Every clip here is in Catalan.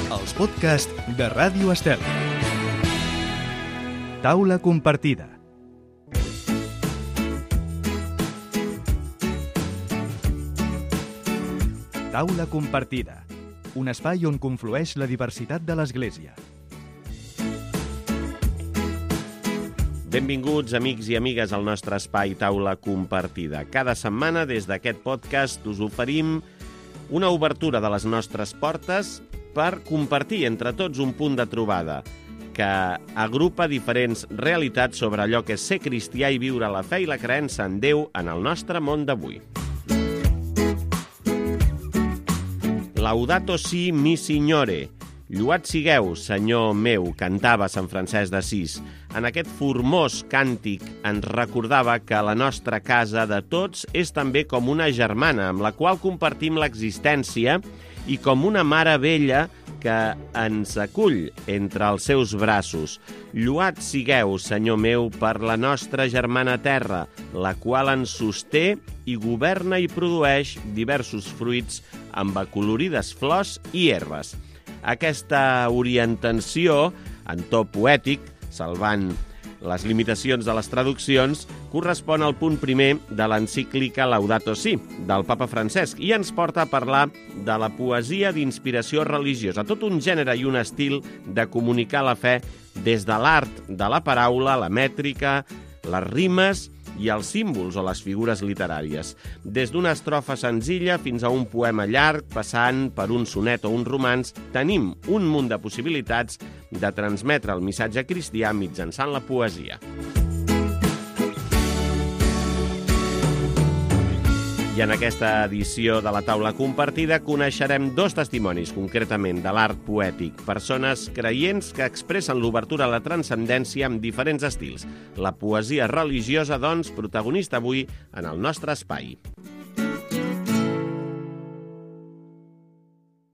Els podcasts de Ràdio Estel. Taula compartida. Taula compartida. Un espai on conflueix la diversitat de l'Església. Benvinguts, amics i amigues, al nostre espai Taula compartida. Cada setmana, des d'aquest podcast, us oferim una obertura de les nostres portes per compartir entre tots un punt de trobada que agrupa diferents realitats sobre allò que és ser cristià i viure la fe i la creença en Déu en el nostre món d'avui. Laudato si mi signore. Lloat sigueu, Senyor meu, cantava Sant Francesc d'Assís. En aquest formós càntic ens recordava que la nostra casa de tots és també com una germana amb la qual compartim l'existència i com una mare vella que ens acull entre els seus braços. Lloat sigueu, Senyor meu, per la nostra germana terra, la qual ens sosté i governa i produeix diversos fruits amb acolorides flors i herbes. Aquesta orientació, en to poètic, salvant les limitacions de les traduccions, correspon al punt primer de l'encíclica Laudato Si, del papa Francesc, i ens porta a parlar de la poesia d'inspiració religiosa, tot un gènere i un estil de comunicar la fe des de l'art de la paraula, la mètrica, les rimes i els símbols o les figures literàries. Des d'una estrofa senzilla fins a un poema llarg, passant per un sonet o un romanç, tenim un munt de possibilitats de transmetre el missatge cristià mitjançant la poesia. I en aquesta edició de la Taula Compartida coneixerem dos testimonis, concretament de l'art poètic, persones creients que expressen l'obertura a la transcendència amb diferents estils. La poesia religiosa, doncs, protagonista avui en el nostre espai.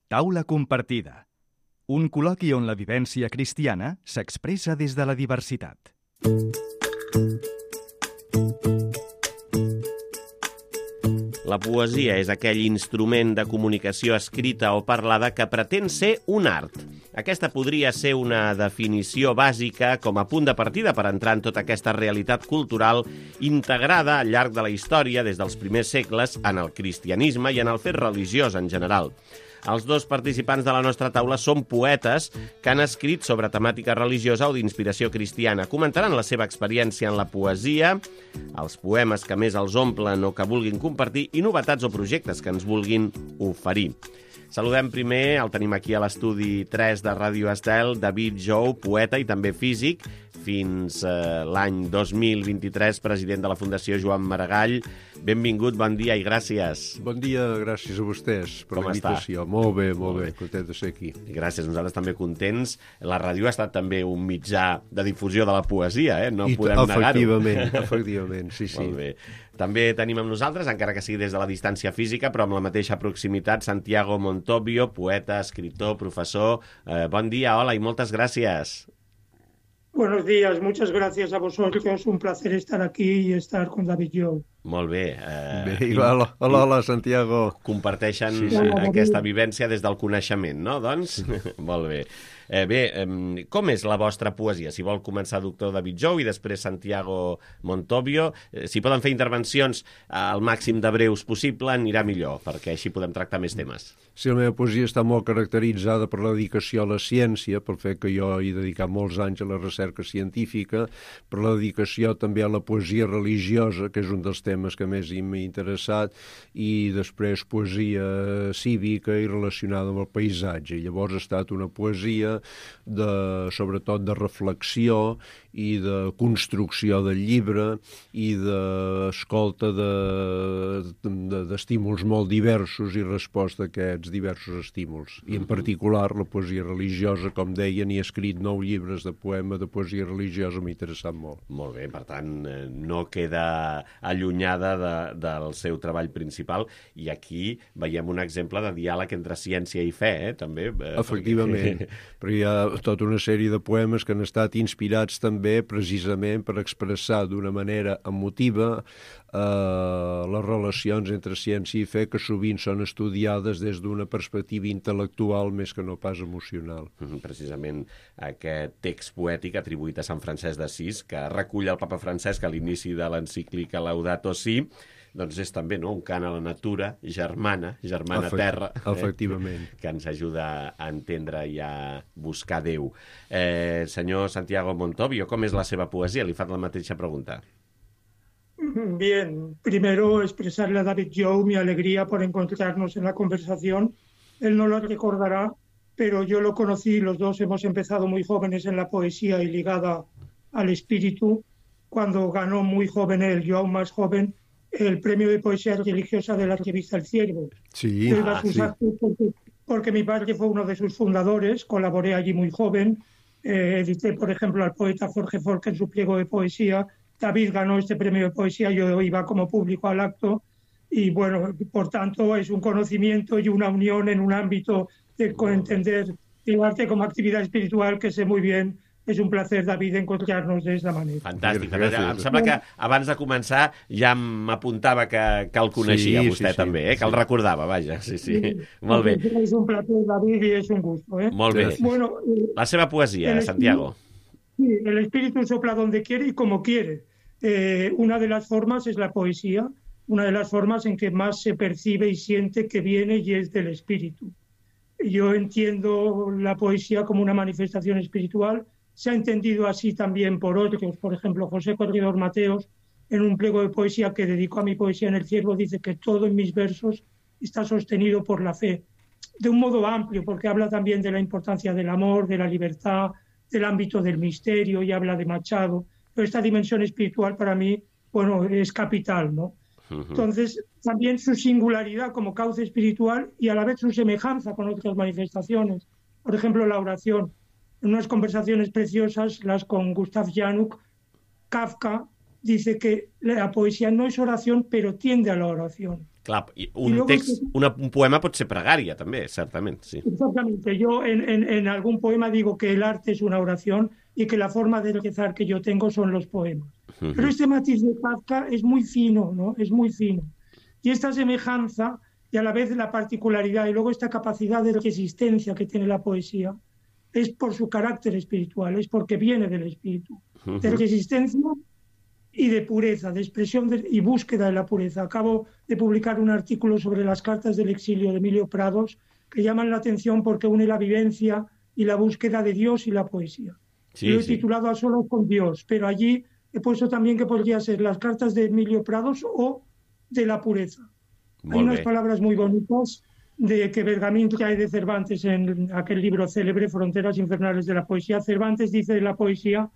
Taula compartida. Un col·loqui on la vivència cristiana s'expressa des de la diversitat. La poesia és aquell instrument de comunicació escrita o parlada que pretén ser un art. Aquesta podria ser una definició bàsica com a punt de partida per entrar en tota aquesta realitat cultural integrada al llarg de la història des dels primers segles en el cristianisme i en el fet religiós en general. Els dos participants de la nostra taula són poetes que han escrit sobre temàtica religiosa o d'inspiració cristiana. Comentaran la seva experiència en la poesia, els poemes que més els omplen o que vulguin compartir i novetats o projectes que ens vulguin oferir. Saludem primer, el tenim aquí a l'estudi 3 de Ràdio Estel, David Jou, poeta i també físic, fins l'any 2023, president de la Fundació Joan Maragall. Benvingut, bon dia i gràcies. Bon dia, gràcies a vostès per la invitació. Molt bé, content de ser aquí. Gràcies, nosaltres també contents. La ràdio ha estat també un mitjà de difusió de la poesia, no podem negar-ho. Efectivament, sí. Molt bé. També tenim amb nosaltres, encara que sigui des de la distància física, però amb la mateixa proximitat, Santiago Montovio, poeta, escritor, profesor. Bon dia, hola i moltes gràcies. Buenos días, muchas gracias a vosotros. Un placer estar aquí y estar con David Jou. Molt bé. Hola, Santiago. Comparteixen aquesta vivència des del coneixement, no? Doncs, molt bé. Com és la vostra poesia? Si vol començar doctor David Jou i després Santiago Montovio. Si poden fer intervencions al màxim de breus possible, anirà millor, perquè així podem tractar més temes. Sí, la meva poesia està molt caracteritzada per la dedicació a la ciència, pel fet que jo he dedicat molts anys a la recerca científica, per la dedicació també a la poesia religiosa, que és un dels temes que més m'ha interessat, i després poesia cívica i relacionada amb el paisatge. Llavors ha estat una poesia sobretot de reflexió i de construcció del llibre i d'escolta d'estímuls molt diversos i resposta a aquests diversos estímuls. I en particular la poesia religiosa, com deia, n'he escrit 9 llibres de poesia religiosa, m'ha interessat molt. Molt bé, per tant, no queda allunyat allunyada del seu treball principal, i aquí veiem un exemple de diàleg entre ciència i fe, també. Efectivament, però hi ha tota una sèrie de poemes que han estat inspirats també precisament per expressar d'una manera emotiva les relacions entre ciència i fe, que sovint són estudiades des d'una perspectiva intel·lectual més que no pas emocional. Precisament aquest text poètic atribuït a Sant Francesc d'Assís, que recull el papa Francesc a l'inici de l'encíclica Laudato Si, doncs és també un cant a la natura germana terra, efectivament, que ens ajuda a entendre i a buscar Déu. Senyor Santiago Montovio, com és la seva poesia? Li fa la mateixa pregunta. Bien, primero expresarle a David Jou mi alegría por encontrarnos en la conversación. Él no lo recordará, pero yo lo conocí, los dos hemos empezado muy jóvenes en la poesía y ligada al espíritu, cuando ganó muy joven él, yo aún más joven, el premio de poesía religiosa de la revista El Ciervo. Sí, porque mi padre fue uno de sus fundadores, colaboré allí muy joven, edité, por ejemplo, al poeta Jorge Forque en su pliego de poesía. David ganó este premio de poesía, yo iba como público al acto y bueno, por tanto es un conocimiento y una unión en un ámbito de entender el arte como actividad espiritual que sé muy bien. És un placer, David, encontrar-nos d'aquesta manera. Fantàstic. Em sembla que abans de començar ja m'apuntava que el coneixia vostè també, que el recordava, vaja. Sí. Molt bé. És un placer, David, i és un gusto. Molt bé. Bueno, la seva poesia, Santiago. Sí, el espíritu sopla donde quiere y como quiere. Una de las formas es la poesía, una de las formas en que más se percibe y siente que viene y es del espíritu. Yo entiendo la poesía como una manifestación espiritual. Se ha entendido así también por otros, por ejemplo, José Corredor Mateos, en un pliego de poesía que dedicó a mi poesía en El Ciervo, dice que todo en mis versos está sostenido por la fe, de un modo amplio, porque habla también de la importancia del amor, de la libertad, del ámbito del misterio, y habla de Machado. Pero esta dimensión espiritual para mí, bueno, es capital, ¿no? Entonces, también su singularidad como cauce espiritual y a la vez su semejanza con otras manifestaciones. Por ejemplo, la oración. En unas conversaciones preciosas, las con Gustav Januk, Kafka dice que la poesía no es oración, pero tiende a la oración. Clar, un poema pot ser pregària, també, certament. Sí. Exactamente. Yo en algún poema digo que el arte es una oración y que la forma de rezar que yo tengo son los poemas. Pero este matiz de Kafka es muy fino, ¿no? Es muy fino. Y esta semejanza y a la vez la particularidad y luego esta capacidad de resistencia que tiene la poesía es por su carácter espiritual, es porque viene del espíritu, de resistencia y de pureza, de expresión y búsqueda de la pureza. Acabo de publicar un artículo sobre las cartas del exilio de Emilio Prados que llaman la atención porque une la vivencia y la búsqueda de Dios y la poesía. Sí, lo he titulado A Solos con Dios, pero allí he puesto también que podría ser las cartas de Emilio Prados o de la pureza. Hay unas palabras muy bonitas de que Bergamín trae de Cervantes en aquel libro célebre, Fronteras Infernales de la Poesía. Cervantes dice de la poesía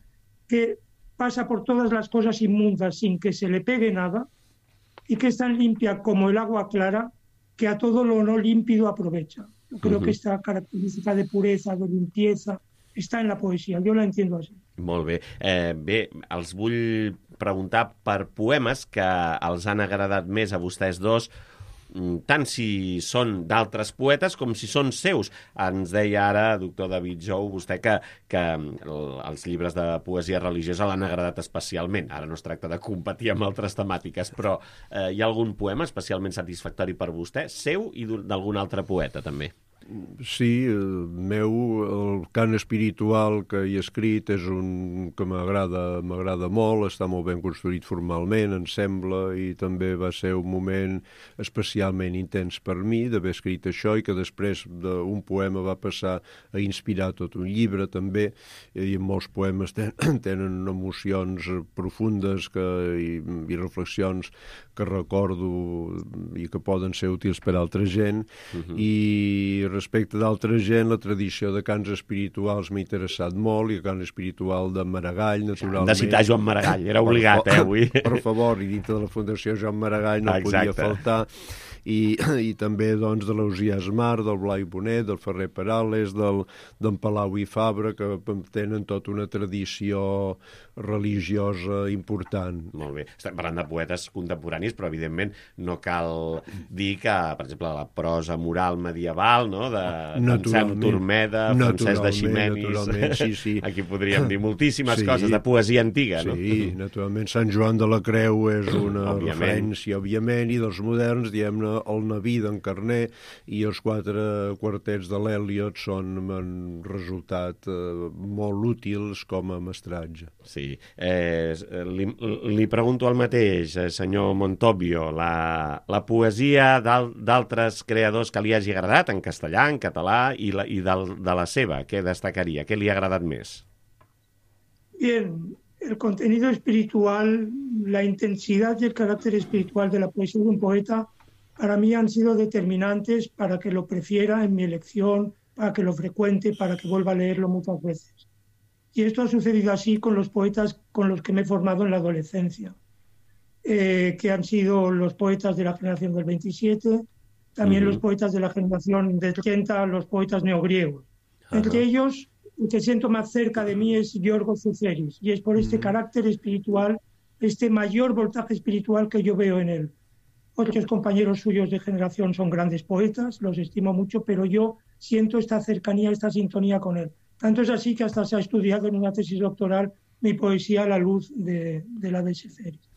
que pasa por todas las cosas inmundas sin que se le pegue nada y que es tan limpia como el agua clara que a todo lo no límpido aprovecha. Yo creo que esta característica de pureza, de limpieza, està en la poesia. Jo la entiendo així. Molt bé. Bé, els vull preguntar per poemes que els han agradat més a vostès dos, tant si són d'altres poetes com si són seus. Ens deia ara, doctor David Jou, vostè que els llibres de poesia religiosa l'han agradat especialment. Ara no es tracta de competir amb altres temàtiques, però hi ha algun poema especialment satisfactori per vostè, seu i d'algun altre poeta, també? Sí, el cant espiritual que he escrit és un que m'agrada molt, està molt ben construït formalment, em sembla, i també va ser un moment especialment intens per mi d'haver escrit això i que després d'un poema va passar a inspirar tot un llibre també, i molts poemes tenen emocions profundes i reflexions que recordo i que poden ser útils per a altra gent, i respecte d'altra gent, la tradició de cants espirituals m'ha interessat molt, i el cant espiritual de Maragall, naturalment. Hem de citar Joan Maragall, era obligat, avui. Per favor, i dintre de la Fundació Joan Maragall no podia faltar. i també doncs, de l'Ausiàs Mar, del Blai Bonet, del Ferrer Perales, d'en Palau i Fabra, que tenen tota una tradició religiosa important. Molt bé. Estem parlant de poetes contemporanis, però evidentment no cal dir que, per exemple, la prosa moral medieval, no? d'Anselm Turmeda, Francesc de Ximenis, sí. Aquí podríem dir moltíssimes coses de poesia antiga, no? Sí, naturalment, Sant Joan de la Creu és una referència, òbviament, i dels moderns, diguem-ne, el Naví d'en Carner i els 4 quartets de l'Eliot han resultat molt útils com a mestratge. Sí. Li pregunto el mateix, senyor Montobbio, la poesia d'altres creadors que li hagi agradat, en castellà, en català, i de la seva, què destacaria? Què li ha agradat més? Bien, el contenido espiritual, la intensidad y el carácter espiritual de la poesía de un poeta para mí han sido determinantes para que lo prefiera en mi elección, para que lo frecuente, para que vuelva a leerlo muchas veces. Y esto ha sucedido así con los poetas con los que me he formado en la adolescencia, que han sido los poetas de la generación del 27, también los poetas de la generación del 30, los poetas neogriegos. Entre ellos, el que siento más cerca de mí es Giorgos Tsoutheris, y es por este carácter espiritual, este mayor voltaje espiritual que yo veo en él. Otros compañeros suyos de generación son grandes poetas, los estimo mucho, pero yo siento esta cercanía, esta sintonía con él. Tanto es así que hasta se ha estudiado en una tesis doctoral mi poesía a la luz de la de Tsoutheris.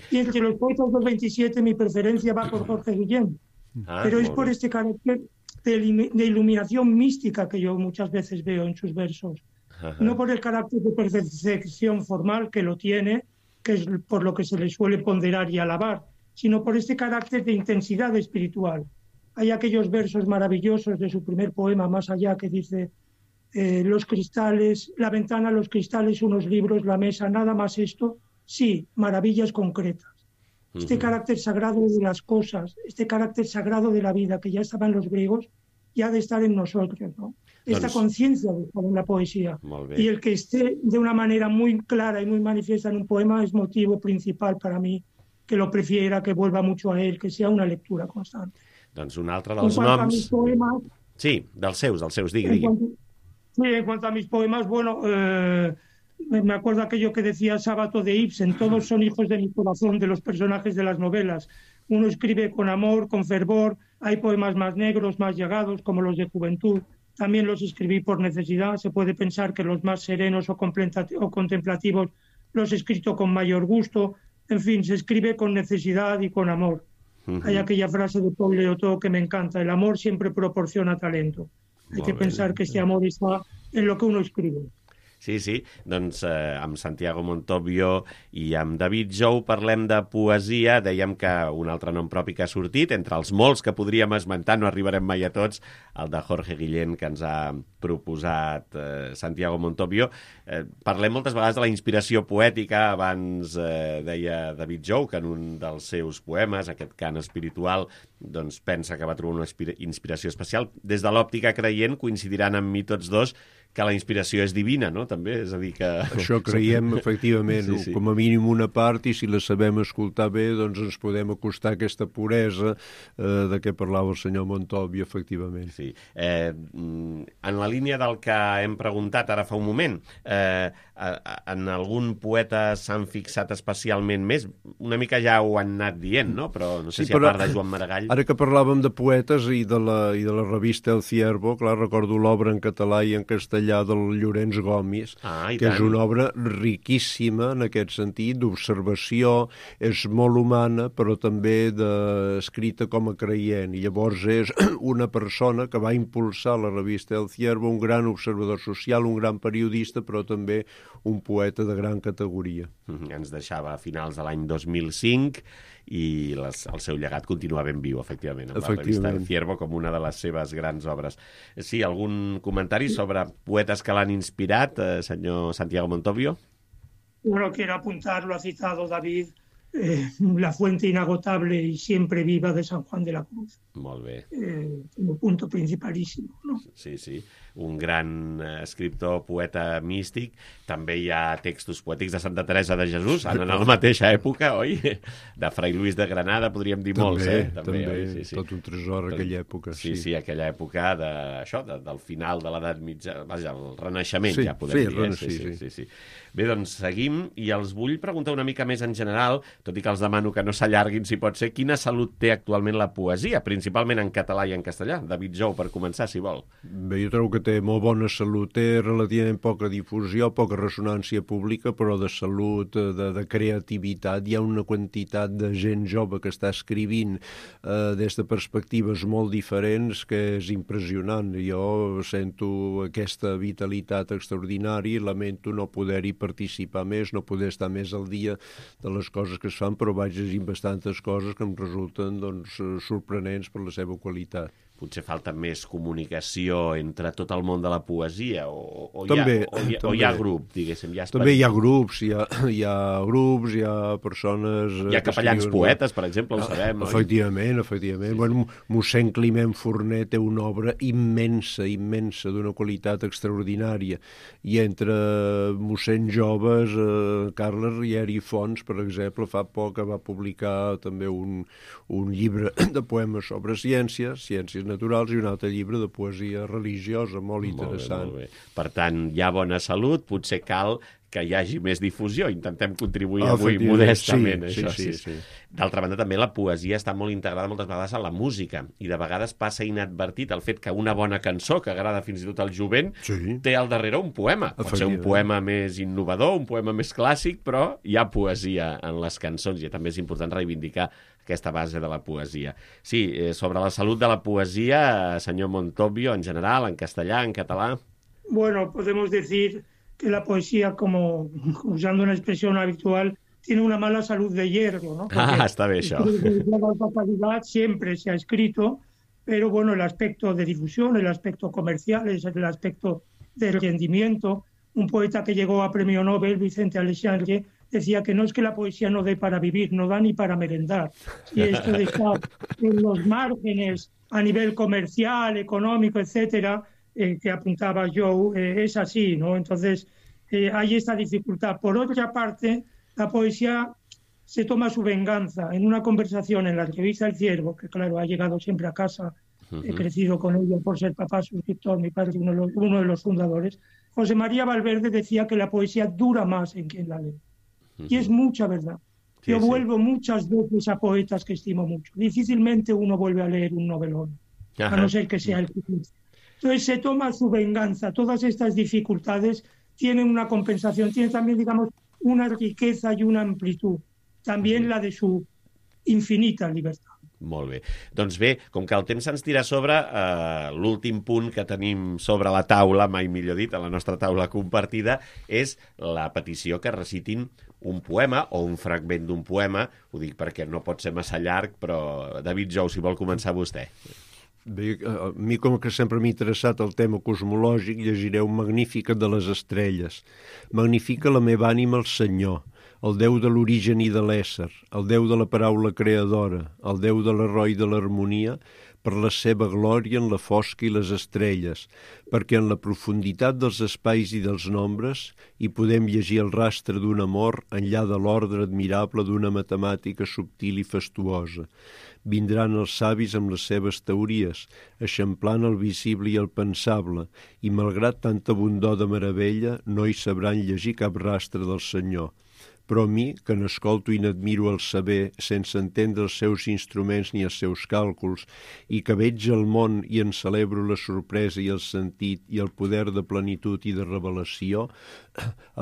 Y entre los poetas del 27 mi preferencia va por Jorge Guillén, pero es por este carácter de iluminación mística que yo muchas veces veo en sus versos. No por el carácter de perfección formal que lo tiene, que es por lo que se le suele ponderar y alabar, sino por este carácter de intensidad espiritual. Hay aquellos versos maravillosos de su primer poema, Más allá, que dice: los cristales, la ventana, los cristales, unos libros, la mesa, nada más esto, sí, maravillas concretas. Este carácter sagrado de las cosas, este carácter sagrado de la vida que ya estaba en los griegos, ya ha de estar en nosotros, ¿no? Esta conciencia de estar en la poesía. Y el que esté de una manera muy clara y muy manifiesta en un poema es motivo principal para mí, que lo prefiera, que vuelva mucho a él, que sea una lectura constante. Doncs un altre dels noms... Poemas, sí, dels seus, digui. En cuanto a mis poemas, bueno, me acuerdo aquello que decía Sábato de Ibsen: todos son hijos de mi corazón, de los personajes de las novelas. Uno escribe con amor, con fervor, hay poemas más negros, más llegados, como los de juventud. También los escribí por necesidad. Se puede pensar que los más serenos o contemplativos los he escrito con mayor gusto. En fin, se escribe con necesidad y con amor. Hay aquella frase de Paul Leotot que me encanta: el amor siempre proporciona talento. Hay que pensar que este amor está en lo que uno escribe. Sí, doncs amb Santiago Montobbio i amb David Jou parlem de poesia. Dèiem que un altre nom propi que ha sortit, entre els molts que podríem esmentar, no arribarem mai a tots, el de Jorge Guillén, que ens ha proposat Santiago Montobbio. Parlem moltes vegades de la inspiració poètica. Abans deia David Jou que en un dels seus poemes, aquest cant espiritual, doncs pensa que va trobar una inspiració especial. Des de l'òptica creient coincidiran amb mi tots dos que la inspiració és divina, no? També, és a dir que... Això creiem, efectivament, sí. Com a mínim una part, i si la sabem escoltar bé, doncs ens podem acostar a aquesta puresa de què parlava el senyor Montobbio, efectivament. Sí. En la línia del que hem preguntat ara fa un moment, en algun poeta s'han fixat especialment més? Una mica ja ho han anat dient, no? Però no sé si a part de Joan Maragall... Ara que parlàvem de poetes i de la revista El Ciervo, clar, recordo l'obra en català i en castellà del Llorenç Gomis, que és una obra riquíssima en aquest sentit, d'observació, és molt humana, però també escrita com a creient. I llavors és una persona que va impulsar la revista El Ciervo, un gran observador social, un gran periodista, però també un poeta de gran categoria. Ens deixava a finals de l'any 2005 i el seu llegat continua ben viu, efectivament, amb la revista El Ciervo com una de les seves grans obres. Sí, algun comentari sobre poetes que l'han inspirat, senyor Santiago Montobbio? Bueno, quiero apuntar, lo ha citado David, la fuente inagotable y siempre viva de San Juan de la Cruz. Molt bé. Un punto principalísimo, ¿no? Sí, sí. Un gran escriptor, poeta místic. També hi ha textos poètics de Santa Teresa de Jesús, en la mateixa època, oi? De Fray Luis de Granada, podríem dir molts, També, sí, sí. tot un tresor aquella època. Sí, aquella època del final de l'edat mitja, vaja, el Renaixement, ja podem dir. Sí. Bé, doncs seguim, i els vull preguntar una mica més en general, tot i que els demano que no s'allarguin, si pot ser, quina salut té actualment la poesia, principalment en català i en castellà? David Jou, per començar, si vol. Bé, jo trobo que té molt bona salut, té relativament poca difusió, poca ressonància pública, però de salut, de creativitat. Hi ha una quantitat de gent jove que està escrivint des de perspectives molt diferents que és impressionant. Jo sento aquesta vitalitat extraordinària i lamento no poder-hi participar més, no poder estar més al dia de les coses que es fan, però vaig llegint bastantes coses que em resulten sorprenents per la seva qualitat. Potser falta més comunicació entre tot el món de la poesia, o també, hi ha grup, diguéssim. També hi ha grups, hi ha persones... Hi ha capellans poetes, per exemple, ho sabem. Efectivament. Sí. Bueno, mossèn Climent Forner té una obra immensa, d'una qualitat extraordinària. I entre mossèn joves, Carles Riera i Fons, per exemple, fa poc va publicar també un llibre de poemes sobre ciències naturals, i un altre llibre de poesia religiosa molt interessant. Molt bé. Per tant, hi ha bona salut, potser cal que hi hagi més difusió. Intentem contribuir avui modestament. Sí. D'altra banda, també la poesia està molt integrada moltes vegades a la música, i de vegades passa inadvertit el fet que una bona cançó, que agrada fins i tot al jovent, té al darrere un poema. Pot ser un poema més innovador, un poema més clàssic, però hi ha poesia en les cançons, i també és important reivindicar aquesta base de la poesia. Sí, sobre la salut de la poesia, senyor Montobio, en general, en castellà, en català... Bueno, podemos decir que la poesía, como usando una expresión habitual, tiene una mala salud de hierro, ¿no? Porque está bien eso. La alta calidad siempre se ha escrito, pero bueno, el aspecto de difusión, el aspecto comercial, el aspecto de rendimiento. Un poeta que llegó a premio Nobel, Vicente Aleixandre, decía que no es que la poesía no dé para vivir, no da ni para merendar. Y esto de estar en los márgenes a nivel comercial, económico, etcétera, que apuntaba Joe, es así, ¿no? Entonces, hay esta dificultad. Por otra parte, la poesía se toma su venganza. En una conversación en la revista El Ciervo, que claro, ha llegado siempre a casa, he crecido con ella por ser papá suscriptor, mi padre uno de los fundadores, José María Valverde decía que la poesía dura más en quien la lee. Y es mucha verdad. Yo vuelvo muchas veces a poetas que estimo mucho. Difícilmente uno vuelve a leer un novelón, a no ser que sea el que quiere. Entonces se toma su venganza. Todas estas dificultades tienen una compensación, tienen también, digamos, una riqueza y una amplitud. También la de su infinita libertad. Molt bé. Doncs bé, com que el temps se'ns tira a sobre, l'últim punt que tenim sobre la taula, mai millor dit, a la nostra taula compartida, és la petició que recitin un poema o un fragment d'un poema. Ho dic perquè no pot ser massa llarg, però David Jou, si vol començar vostè. Bé, a mi, com que sempre m'ha interessat el tema cosmològic, llegiré un Magnífica de les estrelles. Magnifica la meva ànima el Senyor, el Déu de l'origen i de l'ésser, el Déu de la paraula creadora, el Déu de l'heroi de l'harmonia, per la seva glòria en la fosca i les estrelles, perquè en la profunditat dels espais i dels nombres hi podem llegir el rastre d'un amor enllà de l'ordre admirable d'una matemàtica subtil i fastuosa. Vindran els savis amb les seves teories, eixamplant el visible i el pensable, i malgrat tanta bondor de meravella no hi sabran llegir cap rastre del Senyor. Però a mi, que n'escolto i n'admiro el saber, sense entendre els seus instruments ni els seus càlculs, i que veig el món i en celebro la sorpresa i el sentit i el poder de plenitud i de revelació,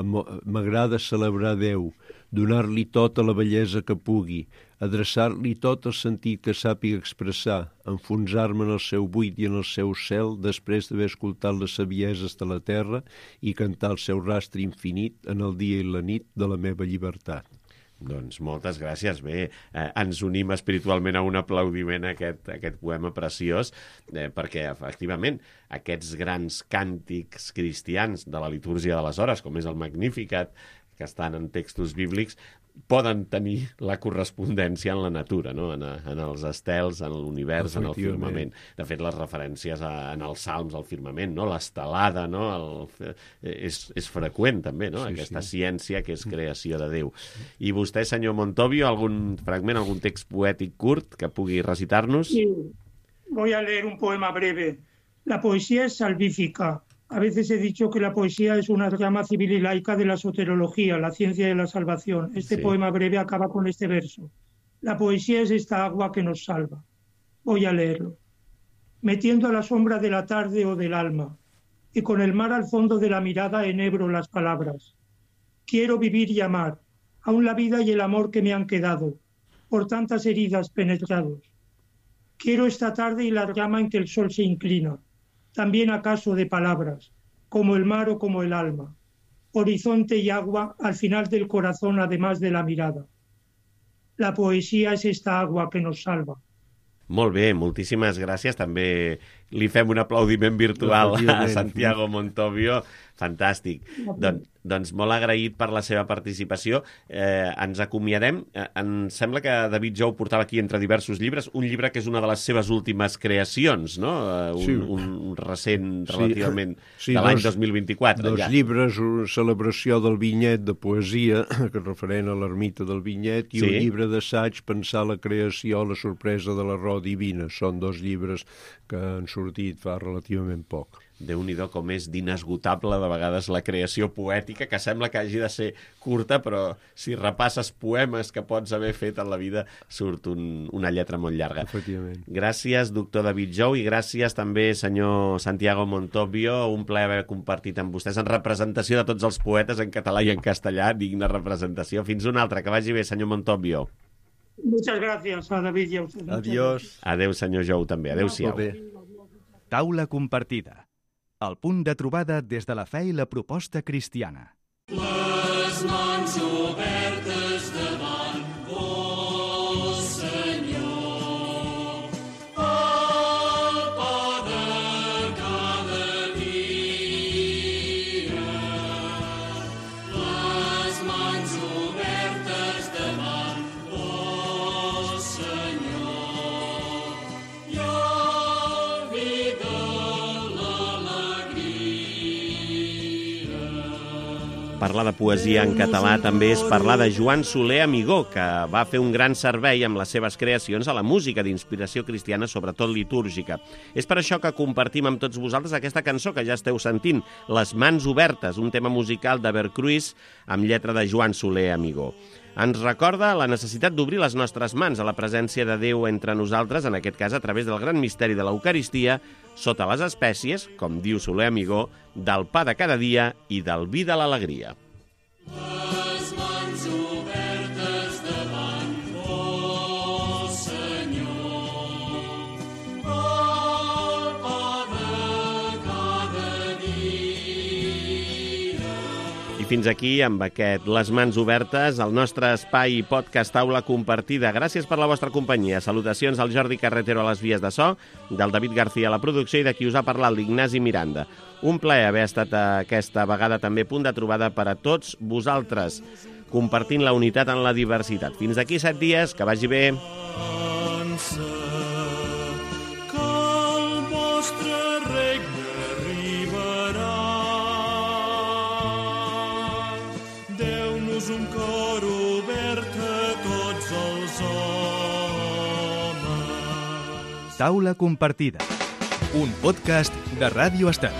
m'agrada celebrar Déu, donar-li tota la bellesa que pugui, adreçar-li tot el sentit que sàpiga expressar, enfonsar-me en el seu buit i en el seu cel després d'haver escoltat les savieses de la terra i cantar el seu rastre infinit en el dia i la nit de la meva llibertat. Doncs moltes gràcies. Bé, ens unim espiritualment a un aplaudiment a aquest poema preciós, perquè, efectivament, aquests grans càntics cristians de la litúrgia de les hores, com és el Magnificat, que estan en textos bíblics, poden tenir la correspondència en la natura, no? En els estels, en l'univers, en el firmament. De fet, les referències en els salms al firmament, no? L'estelada, no? És freqüent, també, no? Aquesta ciència que és creació de Déu. I vostè, senyor Montovio, algun fragment, algun text poètic curt que pugui recitar-nos? Sí. Voy a leer un poema breve. La poesía es salvífica. A veces he dicho que la poesía es una rama civil y laica de la soterología, la ciencia de la salvación. Este poema breve acaba con este verso. La poesía es esta agua que nos salva. Voy a leerlo. Metiendo a la sombra de la tarde o del alma, y con el mar al fondo de la mirada enhebro las palabras. Quiero vivir y amar, aún la vida y el amor que me han quedado, por tantas heridas penetrados. Quiero esta tarde y la rama en que el sol se inclina, también acaso de palabras, como el mar o como el alma, horizonte y agua al final del corazón además de la mirada. La poesía es esta agua que nos salva. Molt bé, moltíssimes gràcies. També li fem un aplaudiment virtual a Santiago Montovio. Fantàstic. Doncs molt agraït per la seva participació. Ens acomiadem. Em sembla que David Jou portava aquí entre diversos llibres un llibre que és una de les seves últimes creacions, no? Un recent relativament de l'any 2024. Dos llibres, una celebració del vinyet de poesia, que és referent a l'ermita del vinyet, i un llibre d'assaig, Pensar la creació, la sorpresa de la raó divina. Són dos llibres que han sortit fa relativament poc. Déu-n'hi-do com és d'inesgotable de vegades la creació poètica, que sembla que hagi de ser curta, però si repasses poemes que pots haver fet en la vida surt una lletra molt llarga. Efectivament. Gràcies, doctor David Jou, i gràcies també, senyor Santiago Montovio. Un plaer haver compartit amb vostès en representació de tots els poetes en català i en castellà, digna representació. Fins una altra, que vagi bé, senyor Montovio. Muchas gracias a David y a usted. Adiós. Adéu, senyor Jou, també. Adéu-siau. Taula compartida. El punt de trobada des de la fe i la proposta cristiana. Les mans obertes davant vos, Senyor, el pa de cada dia. Les mans obertes davant vos, Senyor, i el vi de Parlar de poesia en català també és parlar de Joan Soler Amigó, que va fer un gran servei amb les seves creacions a la música d'inspiració cristiana, sobretot litúrgica. És per això que compartim amb tots vosaltres aquesta cançó que ja esteu sentint, Les mans obertes, un tema musical de Vercruis amb lletra de Joan Soler Amigó. Ens recorda la necessitat d'obrir les nostres mans a la presència de Déu entre nosaltres, en aquest cas a través del gran misteri de l'Eucaristia, sota les espècies, com diu Soler Amigó, del pa de cada dia i del vi de l'alegria. Les mans obertes davant vos, Senyor, el pa de cada dia. I fins aquí, amb aquest Les mans obertes, el nostre espai podcast Taula compartida. Gràcies per la vostra companyia. Salutacions al Jordi Carretero a les vies de so, del David García a la producció i de qui us ha parlat, l'Ignasi Miranda. Un plaer haver estat aquesta vegada també punt de trobada per a tots vosaltres, compartint la unitat en la diversitat. Fins d'aquí 7 dies, que vagi bé. Que el vostre regne arribarà. Deu-nos un cor obert a tots els homes. Taula compartida. Un podcast de Ràdio Estat.